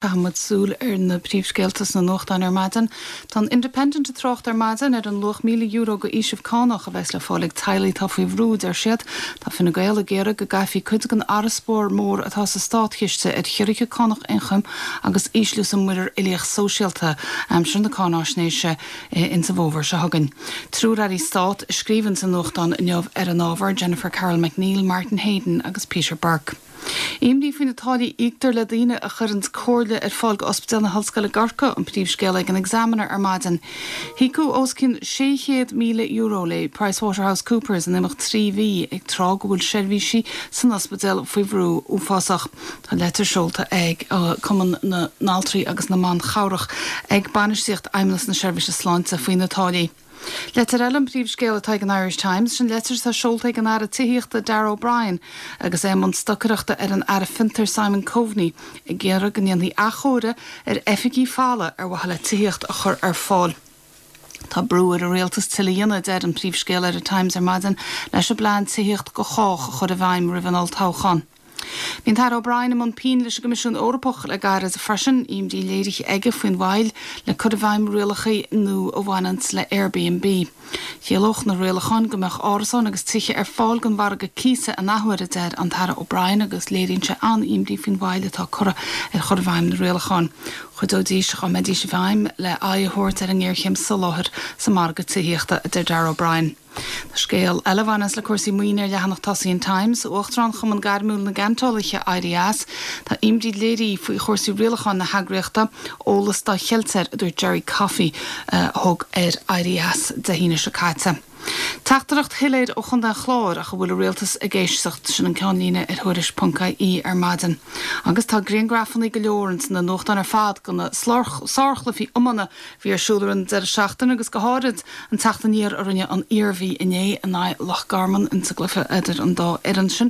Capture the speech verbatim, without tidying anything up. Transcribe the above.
Caithfidh muid súil ar na príomhscéalta sna nuachtáin ar maidin. Tá an Independent ag trácht ar maidin ar an luach míle euro go fhaoiseamh cánach a bheas le fáil ag teaghlaigh atá faoi bhrú, deir siad. Tá Fine Gael ag iarraidh go gcaithfí cuid den fharasbarr mór atá sa státchiste ar chiorruithe cánach ioncaim agus ísliú sa muirear uilíoch sóisialta aimsir na cáináisnéise insa bhfómhar seo chugainn. Triúr airí stáit a scríobhann sa nuachtán inniu ar an ábhar Jennifer Carroll MacNeill, Martin Heydon agus Peter Burke. Imní faoi na táillí a íoctar le daoine a chuireann comhairle ar fáil go Ospidéal na hOllscoile i gCorcaigh an príomhscéal ag an Examiner ar maidin. Híocadh os cionn sé chéad míle euro le PricewaterhouseCoopers in imeacht trí mhí ag tráth go bhfuil seirbhísí san ospidéal faoi bhrú uafásach. Tá leitir seolta ag Cumann na nAltraí agus na mBan Chabhrach ag bainistíocht Fheidhmeannas na Seirbhíse Sláinte faoi na táillí. Leitir eile an príomhscéal atá ag an Irish Times sin leitir atá seolta ag an Aire Tithíochta Darragh O'Brien agus é i mbun stocaireachta ar an Aire Fiontair Simon Coveney ag iarraidh go ndéanfaí athchóiriú ar oifigí falla ar mhaithe le tithíocht a chur ar fáil. Tá brú ar an rialtas tuilleadh a dhéanamh deir an príomhscéal ar an Times ar maidin leis an bplean tithíocht go chách a chur i bhfeidhm roimh an olltoghchán. Bhí an tAire O'Brien i mbun pinn leis an gCoimisiún Eorpach le gairid freisin imní léirithe aige faoin mhoill le cur i bhfeidhm rialacha nua a bhaineann le Airbnb. Chiallódh na rialacháin go mbeadh árasáin agus tithe ar fáil don mhargadh cíosa an athuair a deir an tAire O'Brien agus léiríonn sé an-imní faoin mhoill atá curtha ar chur i bhfeidhm na rialacháin. Chuideoidís dá mbeidís i bhfeidhm le aghaidh a thabhairt ar an ngéarchéim soláthair sa margadh tithíochta a deir Darragh O'Brien. Tá scéal eile a bhaineann le cúrsaí maoine ar leathanach tosaigh an Times, Uachtarán Chumann Gairmiúil na gCeantálaithe éirithe as, Tá imní léirithe faoi chúrsaí rialacháin na heagraíochta eolas dá cheilt air a dúirt Jerry Coffey a thug ar éirí as Dé hAoine seo caite. Teachtaireacht shoiléir ó Chontae an Chláir ach an bhfuil an rialtas ag éisteacht sin an ceannlíne ar Tuairisc.ie ar maidin. Agus tá grianghrafanna go leor ins na nuachtáin ar fad de na sárchluichí iomána a bhí ar siúl ar an deireadh seachtaine agus go háirid an teacht aniar a rinne an Iarmhí inné in aghaidh Loch Garman insa gcluiche idir an dá fhoireann sin.